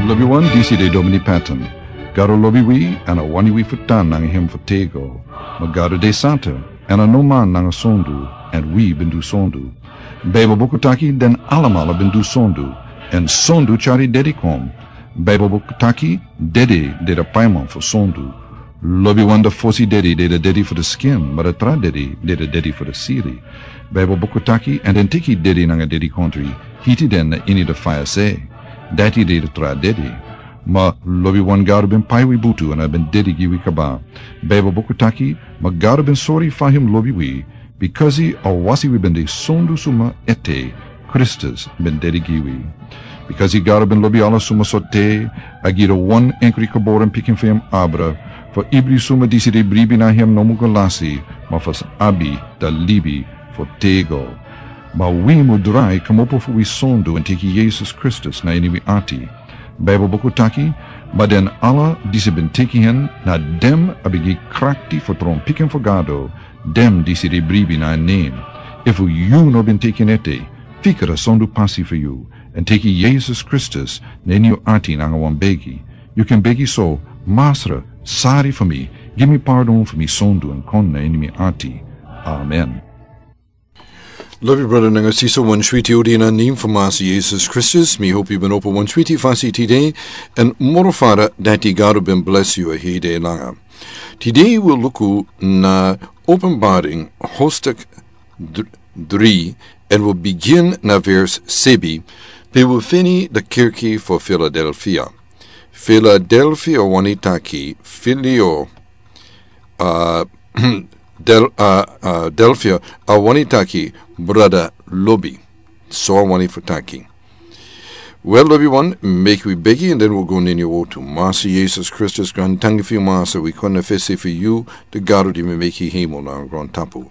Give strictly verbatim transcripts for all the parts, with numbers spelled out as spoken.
Lobi wan, disi de Domini Patton. Gado lobi wi, èn a wani wi fu tan nanga hem fu tego. Ma Gado de santa, èn a no man nanga sondu, èn wi ben du sondu. Baibel buku taki den alamala ben du sondu, èn sondu tyari dedi kon. Baibel buku taki dedi de de paiman fu sondu. Lobi wan, de fosi dedi de de dedi fu de skin, ma de tra dedi de de dedi fu de siri. Baibel buku taki, èn den teki dedi nanga dedikontri, hiti den na ini de faya se. Dati de de tra dedi. Ma lobi wan, Gado ben pai wi butu èn a ben dedi gi wi kaba. Baibel buku taki, ma Gado ben sori fa hem lobi wi, bikasi a wasi wi ben de sondu suma ete, Kristus ben dedi gi wi. Bikasi Gado ben lobi ala suma so te, a gi de wan enkri geboren pikin fu hem abra, fu ibri suma disi de bribi na hem no mu go lasi, ma fu sa abi de libi fu tego. Ma wi mu drai kmopo fu wi sondu èn teki Yesus Kristus na ini wi ati. Baibel buku taki, ma den ala disi ben teki hen, na den a ben gi krakti fu tron pikin fu Gado, den disi de bribi na en nen. Efu yu no ben teki en ete, fika a sondu pasi fu yu, èn teki Yesus Kristus na ini yu ati nanga wan begi. Yu kan begi so: Masra, sari fu mi, gi mi pardon fu mi sondu èn kon na ini mi ati. Amen. Lobi brada nanga sisa, wan switi odi na nen fu Masra Yesus Kristus. Mi hopi yu ben opo wan switi fasi tide, èn moro fara dati Gado ben blesi yu a hei de langa. Tide wi luku na Openbaring hoofdstuk dr-, dri, èn wi bigin na vers sebi, pe wi feni de kerki fu Filadelfia. Filadelfia wani taki filio, a, del-, a, a, Delfia, a wani taki brada lobi. So a wani fu taki. Wel, lobi wan, meki wi begi, èn den wi go na ini yu wotu. Masra Yesus Kristus, grantangi fu yu, Masra, wi kon na fesi fu yu, de Gado di mi meki hemel nanga grontapu.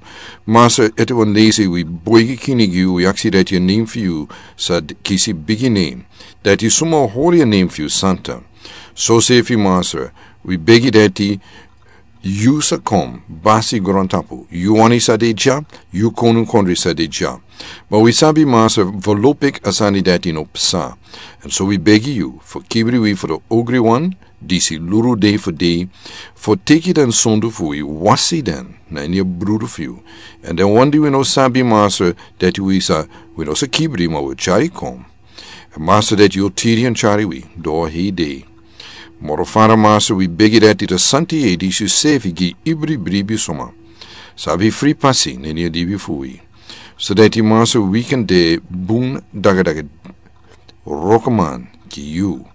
Masra, ete wan leisi wi boigi kini gi yu, wi aksi dati a nen fu yu sa d-, kisi bigi nen. Dati suma hori a nen fu yu santa. Sosefi, Masra, wi begi dati yu sa kon basi grontapu. Yu wani sa de dya, yu konunkondre sa de dya. Ma wi sabi, Masra, volopik a sani dati no psa. Èn so wi begi yu fu kibri wi fu de ogri wan, disi luru dei fu dei, fu teki den sondu fu wi, wasi den na ini a brudu fu yu. Èn den wan di wi no sabi, Masra, dati wi sa, wi no sa kibri, ma wi tyari kon. Masra, dati yu o tiri èn tyari wi doro hei dei. Moro fara, Masra, wi begi dati de santa yeye disi yu sefi gi ibri bribi suma, sabi fri pasi na ini a libi fu wi. So dati, Masra, wi kan de bun dagadaga wrokoman gi yu.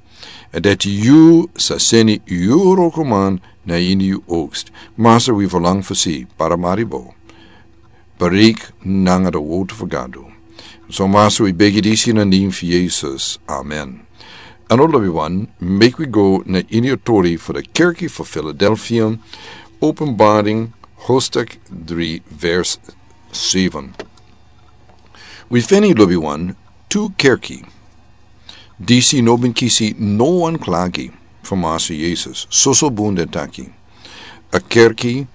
Èn dati yu sa seni yu wrokoman na ini yu oogst. Masra, wi verlang fu si Paramaribo bereik nanga de wotu fu Gado. So, Masra, wi begi disi na nen fu Yesus. Amen. Èn, lobi wan, meki wi go na ini a tori fu de kerki fu Filadelfia, Openbaring hoofdstuk dri, vers seven. Wi feni, lobi wan, tu kerki disi no ben kisi no wan klagi fu Masra Yesus. Soso bun den taki. A kerki,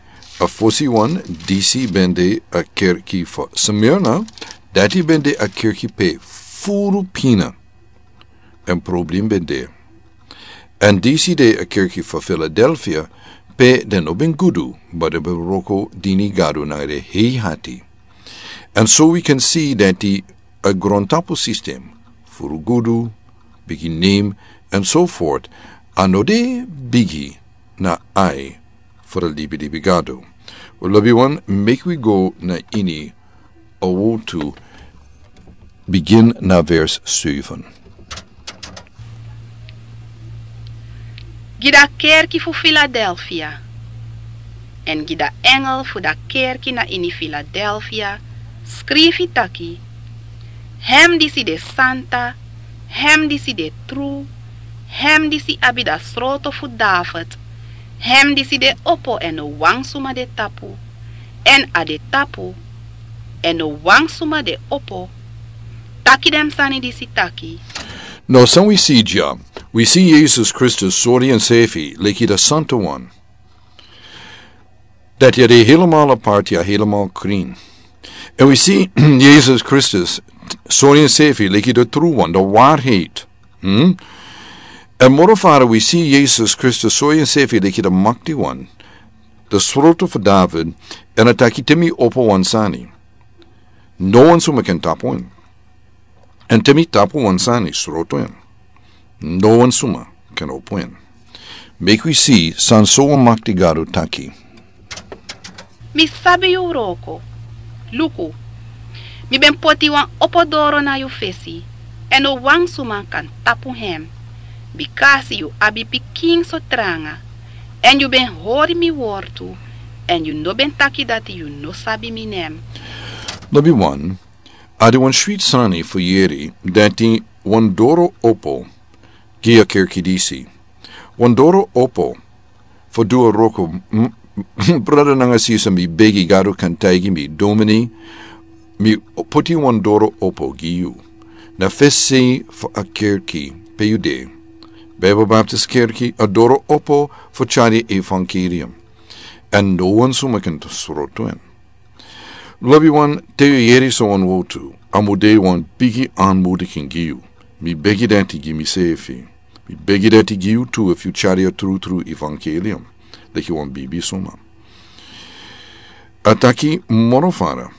a fosi wan, disi ben de a kerki fu Smyrna, dati ben de a kerki pe furu pina èn problem ben de. Èn disi de a kerki fu Filadelfia, pe den no ben gudu, ma den ben wroko dini Gado nanga den hei ati. Èn so wi kan si dati a grontapu sistem, furu gudu, bigi nen, èn so fort, a no de bigi na ai fu de libilibi Gado. Wel, lobi wan, meki wi go na ini a wotu, bigin na vers seven. Gi da kerki fu Filadelfia, èn gi da engel fu da kerki na ini Filadelfia, skrifi taki: Hem disi de santa, hem disi de tru, hem disi abi da sroto fu David, hem disi de opo èn no wan suma de tapu, èn a de tapu, èn no wan suma de opo, taki den sani disi taki. Now, san wi si dya, wi si Yesus Kristus sori ensefi leki da santa wan. Dati a de helemaal apart, ya, helemaal krin. Èn wi si Yesus Kristus sori ensefi leki da tru wan, da waarheid. Hmm? Èn moro fara wi si Yesus Kristus sori ensefi leki de makti wan, de sroto fu David, èn a taki te mi opo wan sani, no wan suma ken tapu en. Èn te mi tapu wan sani sroto en, no wan suma ken opo en. Meki wi si san so wan makti Gado taki. Mi sabi yu wroko. Luku, mi ben poti wan opo doro na yu fesi, èn no wan suma kan tapu hem. Bikasi yu abi pikin so tranga, èn yu ben hori mi wortu, èn yu no ben taki dati yu no sabi mi nen. Lobi wan, a de wan switi sani fu yeri dati wan doro opo gi a kerki disi. Wan doro opo fu du a wroko. Brada nanga sisa, mi begi Gado kan taigi mi, domini, mi poti wan doro opo gi yu na fesi fu a kerki pe yu de. Bible Baptist Kerki, a doro opo fu tyari evangelium, èn no wan suma ken sroto en. Lobi wan, te yu yeri so wan wortu, a mu de wan bigi anmodiking gi yu. Mi begi dati gi misefi. Mi begi dati gi yu tu efu yu tyari a trutru evangelium leki wan bibi suma. A taki moro fara.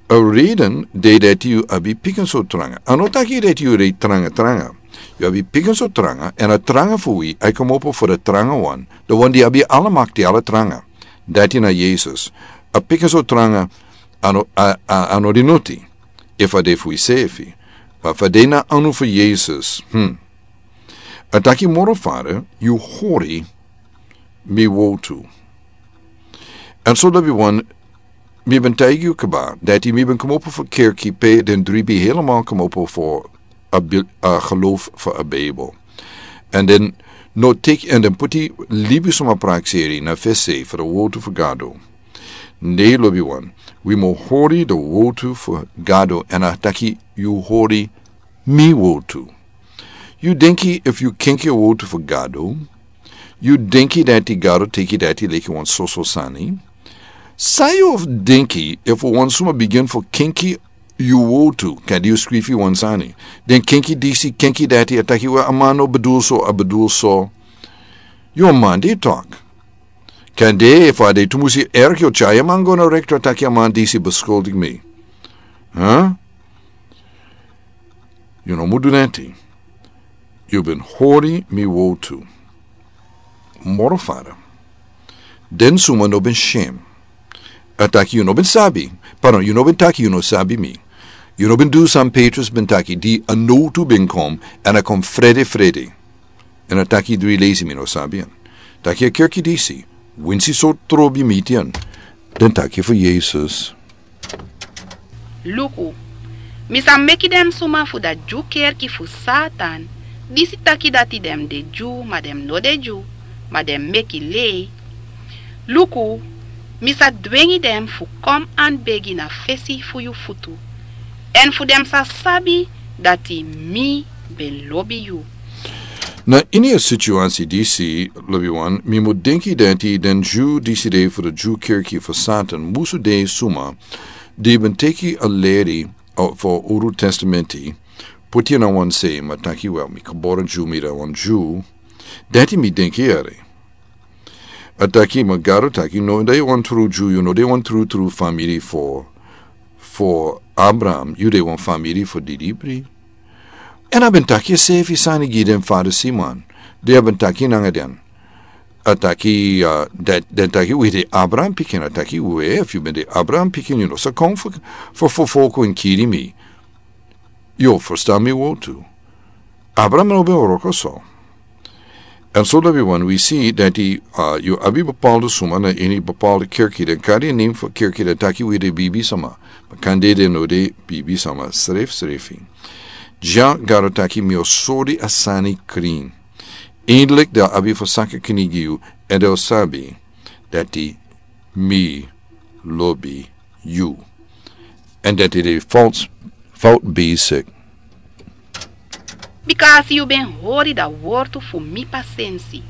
A reden de dati yu abi pikin so tranga. A no taki dati yu de tranga tranga. Yu abi pikin so tranga, èn a tranga fu wi a e komopo fu de tranga wan, de wan di abi ala makti, ala tranga. Dati na Yesus. A pikin so tranga, a no, a, a, a no de noti efu a de fu isefi. Ma efu a de na anu fu Yesus, hmm. A taki moro fara, yu hori mi wortu. Èn so lobi wan, mi ben taigi yu kaba dati mi ben komopo fu kerki pe den dribi helemaal komopo fu a bil-, a geloof fu a Bijbel. Èn den no teki èn den poti libi suma prakseri na fesi fu de wortu fu Gado. Ne, lobi wan, wi mu hori de wortu fu Gado, èn a taki yu hori mi wortu. Yu denki efu yu kenki a wortu fu Gado, yu denki dati Gado teki dati leki wan soso sani? San yu o denki efu wan suma bigin fu kenki yu wortu, kande yu skrifi wan sani, den kenki disi, kenki dati, a taki we a man no bedul so, a bedul so. Yu a man di tok. Kande efu a de tumusi erg, yu o tyari a man go na rektor, taki a man disi beskuldig mi. Huh? Yu no mu du neti. Yu ben hori mi wortu. Moro fara. Den suma no ben shem. A taki yu no ben sabi. Pardon, yu no ben taki yu no sabi mi. Yu no ben du san Petrus ben taki di a nowtu ben kon, èn a kon frede frede. Èn a taki dri leisi mi no sabi en. Taki a kerki disi, winsi so trobi miti en, den taki fu Yesus. Luku, mi sa meki den suma fu da Dyu kerki fu Satan, disi taki dati den de Dyu ma den no de Dyu, ma den meki lei. Luku, mi sa dwengi den fu kon anbegi na fesi fu yu futu, èn fu den sa sabi dati mi ben lobi yu. Na ini a situasi disi, lobi wan, mi mu denki dati den Dyu disi de fu da Dyu kerki fu Satan musu de suma di ben teki a leri fu a Uru Testamenti, puti na wan sei, ma taki, wel, mi kabora Dyu, mi de wan Dyu. Dati mi denki eri. A taki, ma Gado taki, no de wan tru Dyu, yu no de wan trutru famiri fu, fu Abraham, yu de wan famiri fu didibri. Èn a ben taki a sefi sani gi den Fariseeman. Den a ben taki nanga den. A taki, uh, den, den taki, wi de Abraham pikin. A taki, we, efu yu ben de Abraham pikin, yu no sa kon fu, fu, fu, fu kon kiri mi. Yu ferstan mi wortu. Abraham no ben wroko so. Èn so lobi wan, wi si dati, uh, yu abi bepaalde suma na ini bepaalde kerki, den kari a nen fu kerki, den taki wi de bibi sama. Ma kande den no de bibi sama srefsrefi. Dya Gado taki mi o sori a sani krin. Eindelijk den o abi fu saka kini gi yu, èn den o sabi dati mi lobi yu. Èn dati den fout, fout bezig. Bikasi yu ben hori da wortu fu mi pasensi,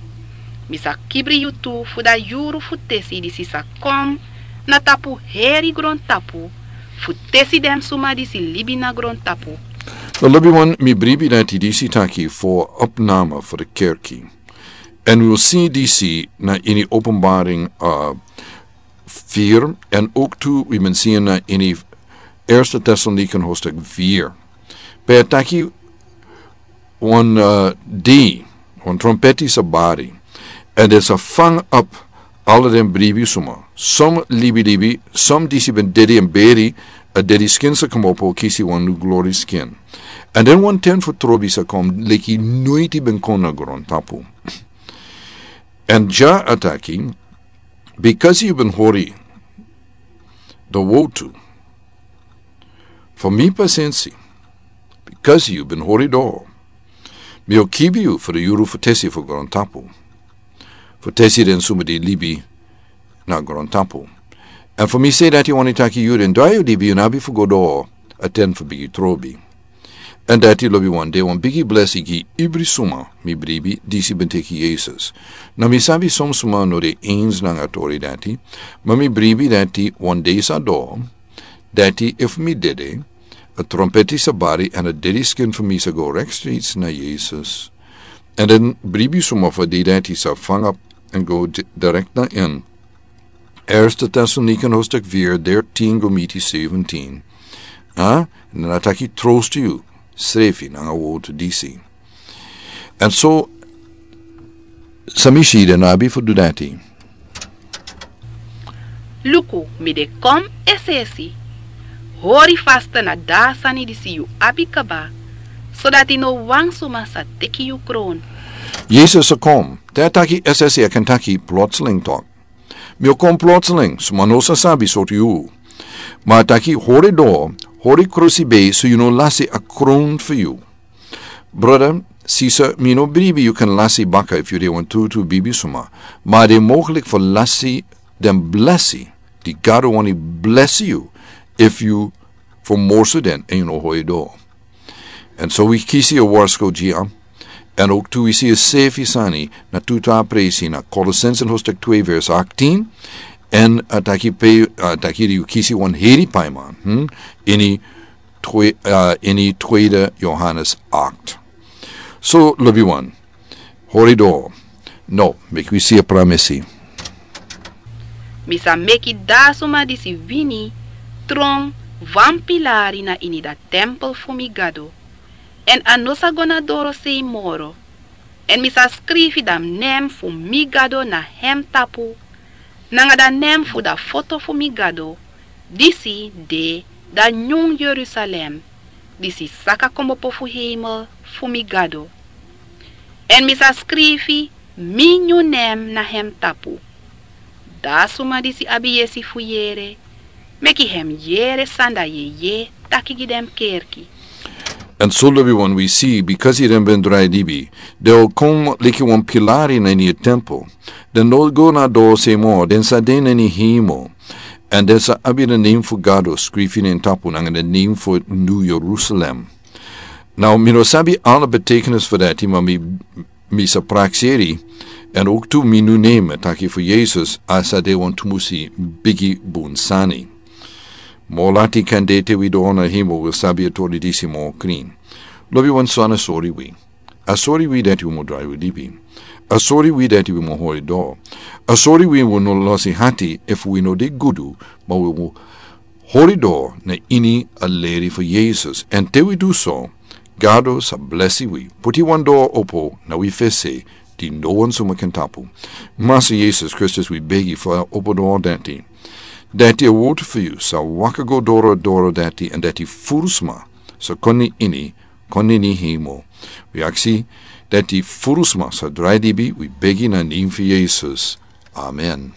mi sa kibri yu tu fu da yuru fu tesi disi sa kon na tapu heri grontapu, fu tesi den suma disi libi na grontapu. Lobiwan, mi bribi dati disi taki fu opname fu de kerki. En wi wil si disi na ini Openbaring, uh, vier, en ook tu wi men si na ini Eerste Thessaloniken hoofdstuk vier. Pe a taki wan, uh, di, wan trompeti sa bari. En den sa fang op ala den bribi suma. Som libi libi, som disi ben dedi en beri, a dedi skin sa komopo kisi wan nu glori skin. En den wan ten fu trobi sa kom, leki noiti ben kon na grontapu. En ja a taki, because yu ben hori, de wotu, fu mi pasensi, because yu ben hori do, mi o kibi yu fu de yuru fu tesi fu grontapu. Fu tesi den suma di libi na grontapu. En fu mi se dati wani taki yu den drai yu libi yu nabi fu go do a ten fu bigi trobi. En dati lobiwan de wan bigi blesi gi ibri suma mi bribi disi ben teki Yesus. Na mi sabi som suma no de eens nanga tori dati, ma mi bribi dati wan de sa do, dati efu mi dede, a trompeti sa bari en a dedi skin fu mi sa go rek streets na Yesus. En den bribi suma fu di dati sa fang op en go di-, direct na in. Eerste Thessaloniken hoofdstuk vier, dertien go miti zeventien. Ha? En dan a taki trost yu, srefi nanga wotu disi. En so, san mi si den abi fu du dati. Luku, mi de kon es'esi. Hori fasta na da sani disi yu abi kaba, sodati no wan suma sa teki yu kron. Yesus sa kon, te a taki es'esi a kan taki plotseling tok. Mi o kon plotseling, suma no sa sabi sortu yu. Ma a taki hori do, hori krusi be, so yu no lasi a kron fu yu. Brother, sisa, mi no bribi yu kan lasi baka efu yu de wan trutu bibi suma. Ma a de mogelijk fu lasi den blesi di Gado wani blesi yu efu yu fu morsu den en yu no hori do. En so wi kisi a warsko gi a. En ook tu wi si a sefi sani na tu tra presi na Colossensen hoofdstuk twee vers achttien. En a taki pe, a taki di wi kisi wan heri paiman. Hmm? Ini twe-, uh, ini tweede Johannes acht. So, lobiwan, hori do. No, meki wi si a pramisi. Mi sa meki da suma disi wini tron wan pilari na ini da tempel fu mi Gado. En a no sa go na doro sei moro. En mi sa skrifi da nen fu mi Gado na hem tapu, nanga da nen fu da foto fu mi Gado, disi de da nyun Yerusalem, disi saka komopo fu heimel fu mi Gado. En mi sa skrifi mi nyun nen na hem tapu. Da suma disi abi yesi fu yere, meki hem yere san da yeye taki gi den kerki. En so lobiwan wi si, bikasi den ben drai libi, den o kon leki wan pilari na ini a tempel. Den no go na doro sei moro, den sa de na ini heimel. En den sa abi da nen fu Gado skrifi na en tapu nanga da nen fu New Jerusalem. Now, mi no sabi ala betekenis fu dati, ma mi mi sa prakseri, en ook tu mi nu name taki fu Yesus, a sa de wan tumusi bigi bun sani. Mo lati kan de te wi doro na heimel wi sabi a tori disi mo krin. Lobiwan, so a no sori wi. A sori wi dati wi mo drai wi libi. A sori wi dati wi mo hori doro. A sori wi wi no losi hati efu wi no de gudu, ma wi mo hori doro na ini a leri fu Yesus. En te wi du so, Gado sa blesi wi. Puti wan doro opo na wi fesi, di no wan suma kan tapu. Masa Yesus Kristus, wi begi fu a opo doro dati. Dati a wotu fu yu sa waka go doro doro dati, en dati furu sma sa kon na ini, kon na ini heimel. Wi aksi dati furu sma sa drai libi, wi begi na nen fu Yesus. Amen.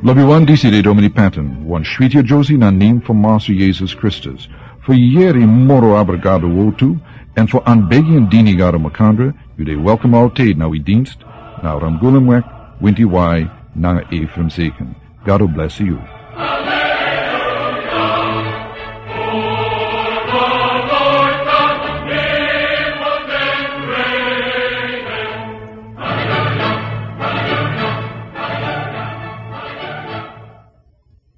Lobiwan, disi de Domini Patton, wan switi a Josie na nen fu Masa Yesus Kristus. Fu yere moro abra Gado wotu, en fu anbegi en dini Gado makandra, yu de welkom altijd na wi dienst, na Ramgulumweg, winti wai, nanga Ephraim Zeken. Gado blesi yu.